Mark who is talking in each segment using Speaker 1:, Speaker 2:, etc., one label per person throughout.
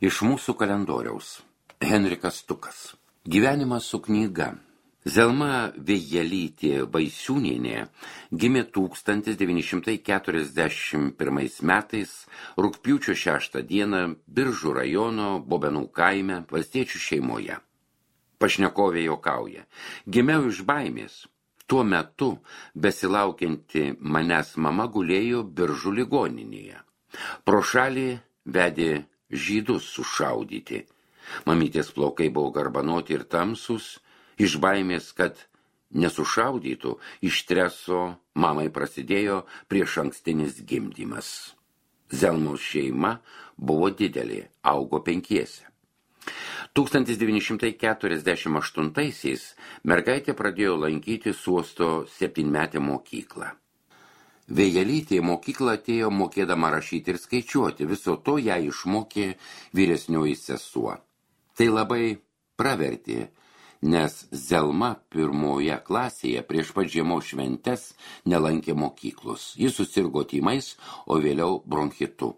Speaker 1: Iš mūsų kalendoriaus. Henrikas Stukas. Gyvenimas su knyga. Zelma Vėjelytė Vaisiūnienė gimė 1941 metais rugpjūčio 6 dieną Biržų rajono Bobenų kaime valstiečių šeimoje. Pašnekovė juokauja. Gimiau iš baimės. Tuo metu besilaukianti manęs mama gulėjo Biržų ligoninėje. Pro šalį vedė žydus sušaudyti. Mamytės plaukai buvo garbanoti ir tamsus, iš baimės, kad nesušaudytų, iš streso mamai prasidėjo priešankstinis gimdymas. Zelmos šeima buvo didelė, augo 5. 1948-aisiais mergaitė pradėjo lankyti Suosto 7-metę mokyklą. Vėjelytė į mokyklą atėjo mokėdama rašyti ir skaičiuoti, viso to ją išmokė vyresnioji sesuo. Tai labai pravertė, nes Zelma 1 klasėje prieš pat žiemos šventes nelankė mokyklos. Jis susirgo tymais, o vėliau bronchitu.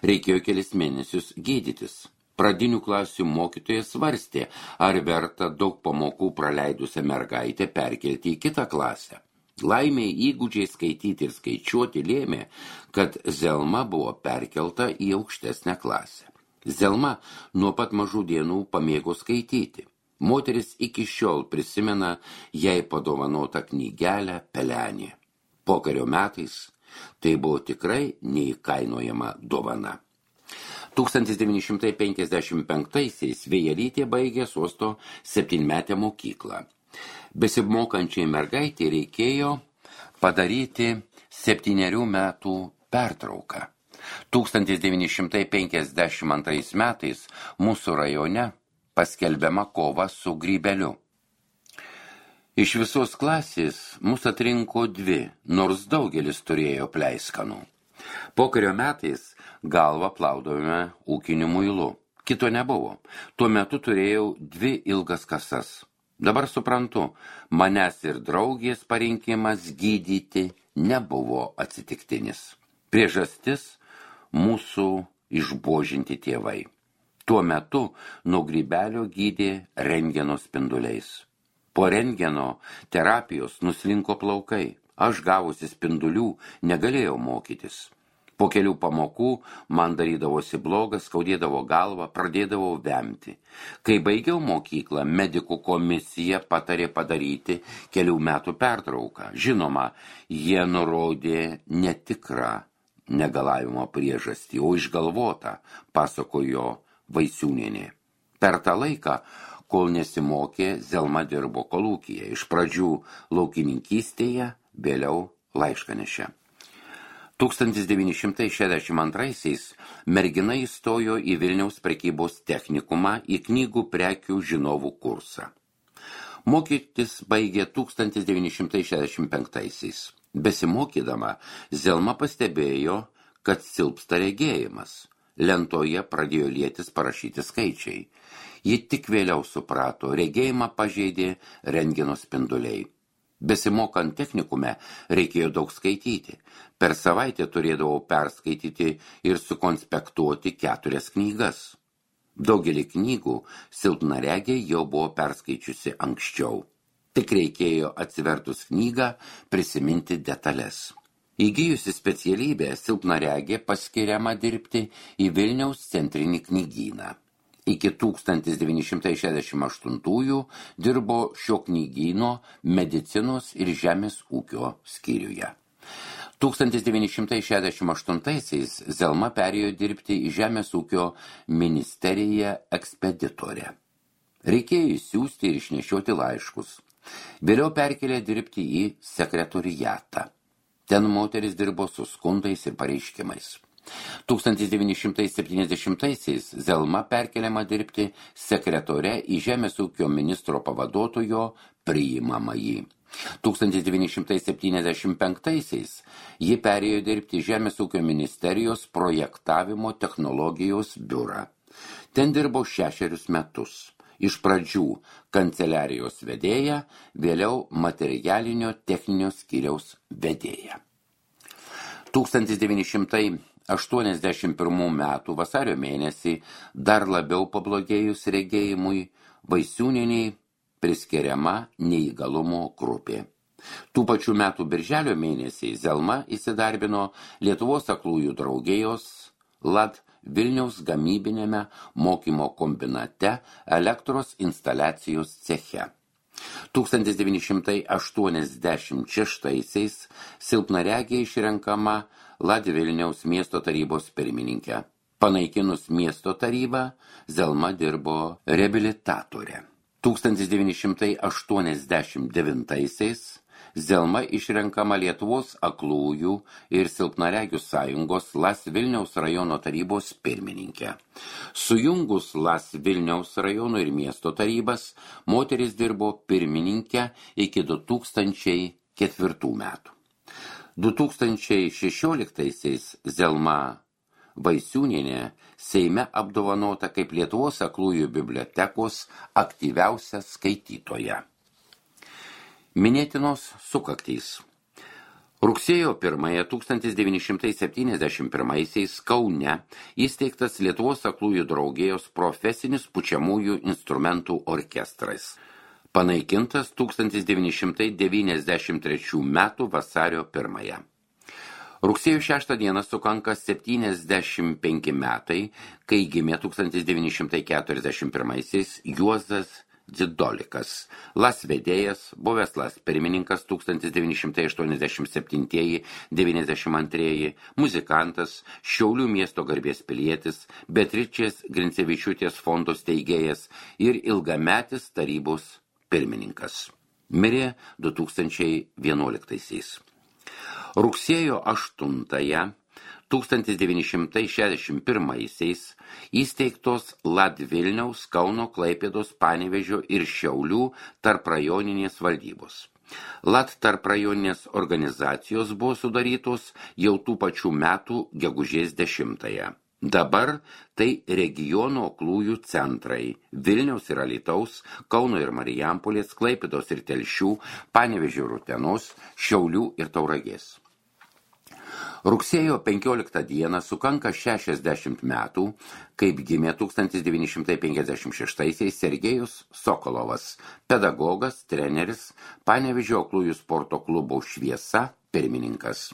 Speaker 1: Reikėjo kelis mėnesius gydytis. Pradinių klasių mokytojas svarstė, ar verta daug pamokų praleidusią mergaitę perkelti į kitą klasę. Laimei įgūdžiai skaityti ir skaičiuoti lėmė, kad Zelma buvo perkelta į aukštesnę klasę. Zelma nuo pat mažų dienų pamėgo skaityti. Moteris iki šiol prisimena jai padovanotą knygelę Pelenė. Pokario metais tai buvo tikrai neįkainojama dovana. 1955-aisiais Vėjelytė baigė Suosto 7-metę mokyklą. Besimokančiai mergaitė reikėjo padaryti 7 metų pertrauką. 1952 metais mūsų rajone paskelbiama kova su grybeliu. Iš visos klasės mus atrinko 2, nors daugelis turėjo pleiskanų. Pokario metais galvą plaudavome ūkiniu muilu. Kito nebuvo. Tuo metu turėjau 2 ilgas kasas. Dabar suprantu, manęs ir draugės parinkimas gydyti nebuvo atsitiktinis. Priežastis mūsų išbuožinti tėvai. Tuo metu nuo grybelio gydė rentgeno spinduliais. Po rentgeno terapijos nuslinko plaukai. Aš gavusi spindulių negalėjau mokytis. Po kelių pamokų man darydavosi blogas, skaudėdavo galvą, pradėdavau vemti. Kai baigiau mokyklą, medikų komisija patarė padaryti kelių metų pertrauką. Žinoma, jie nurodė netikrą negalavimo priežastį, o išgalvotą, pasakojo Vaisiūnienė. Per tą laiką, kol nesimokė, Zelma dirbo kolūkyje. Iš pradžių laukininkystėje, vėliau laiškanešė. 1962-aisiais mergina įstojo į Vilniaus prekybos technikumą į knygų prekių žinovų kursą. Mokytis baigė 1965-aisiais. Besimokydama, Zelma pastebėjo, kad silpsta regėjimas. Lentoje pradėjo lietis parašyti skaičiai. Ji tik vėliau suprato, regėjimą pažeidė rentgeno spinduliai. Besimokant technikume reikėjo daug skaityti. Per savaitę turėdavau perskaityti ir sukonspektuoti 4 knygas. Daugelį knygų silpnaregė jau buvo perskaičiusi anksčiau. Tik reikėjo atsivertus knygą prisiminti detalės. Įgijusi specialybę, silpnaregė paskiriama dirbti į Vilniaus centrinį knygyną. Iki 1968 dirbo šio knygyno medicinos ir žemės ūkio skyriuje. 1968-aisiais Zelma perėjo dirbti į Žemės ūkio ministeriją ekspeditorę. Reikėjo išsiųsti ir išnešioti laiškus. Vėliau perkelė dirbti į sekretoriatą. Ten moteris dirbo su skundais ir pareiškimais. 1970-aisiais Zelma perkeliama dirbti sekretore į Žemės ūkio ministro pavaduotojo priimamąjį. 1975-aisiais ji perėjo dirbti Žemės ūkio ministerijos projektavimo technologijos biurą. Ten dirbo 6 metus. Iš pradžių kanceliarijos vedėja, vėliau materialinio techninio skyriaus vedėja. 1980 1981 metų vasario mėnesį dar labiau pablogėjus regėjimui, Vaisiūnienei priskiriama neįgalumo grupė. Tų pačių metų birželio mėnesį Zelma įsidarbino Lietuvos aklųjų draugijos LAD Vilniaus gamybinėme mokymo kombinate elektros instaliacijos ceche. 1986-aisiais silpnaregė išrenkama LAD Vilniaus miesto tarybos pirmininkė. Panaikinus miesto tarybą, Zelma dirbo reabilitatore. 1989-aisiais Zelma išrenkama Lietuvos aklųjų ir silpnaregių sąjungos LAS Vilniaus rajono tarybos pirmininkė. Sujungus LAS Vilniaus rajono ir miesto tarybas, moteris dirbo pirmininkė iki 2004 metų. 2016-aisiais Zelma Vaisiūnienė Seime apdovanota kaip Lietuvos aklųjų bibliotekos aktyviausia skaitytoja. Minėtinos sukaktys. Rugsėjo 1 1971 Kaune įsteigtas Lietuvos aklųjų draugijos profesinis pučiamųjų instrumentų orkestras. Panaikintas 1993 metų vasario 1. Rugsėjo 6 dieną sukanka 75 metai, kai gimė 1941 Juozas Dzidolikas, LAS vedėjas, buvęs LAS pirmininkas 1987-92, muzikantas, Šiaulių miesto garbės pilietis, Beatričės Grincevičiūtės fondo steigėjas ir ilgametis tarybos pirmininkas. Mirė 2011. Rugsėjo 8 1961 įsteigtos LAD Vilniaus, Kauno, Klaipėdos, Panevėžio ir Šiaulių tarprajoninės valdybos. LAD tarprajoninės organizacijos buvo sudarytos jau tų pačių metų gegužės 10. Dabar tai regiono aklųjų centrai Vilniaus ir Alytaus, Kauno ir Marijampolės, Klaipėdos ir Telšių, Panevėžio ir Utenos, Šiaulių ir Tauragės. Rugsėjo 15 dieną sukanka 60 metų, kaip gimė 1956 Sergejus Sokolovas, pedagogas, treneris, Panevėžio aklųjų sporto klubo Šviesa pirmininkas.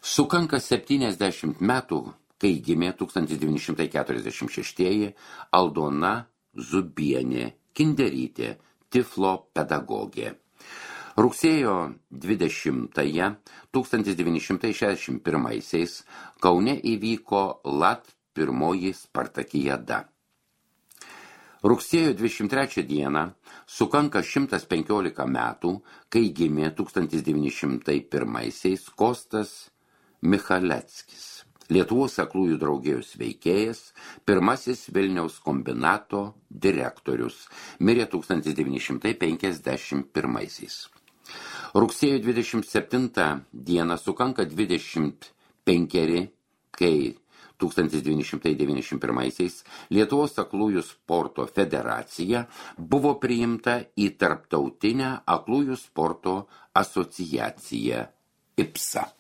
Speaker 1: Sukanka 70 metų, kai gimė 1946 Aldona Zubienė Kinderytė, Tiflo pedagogė. Rugsėjo 20 1961 Kaune įvyko LAD pirmoji Spartakijada. Rugsėjo 23 dieną sukanka 115 metų, kai gimė 1901 Kostas Michaleckis, Lietuvos aklųjų draugijos veikėjas, pirmasis Vilniaus kombinato direktorius, mirė 1951. Rugsėjo 27 dieną sukanka 25, kai 1991 Lietuvos aklųjų sporto federacija buvo priimta į tarptautinę aklųjų sporto asociaciją IPSA.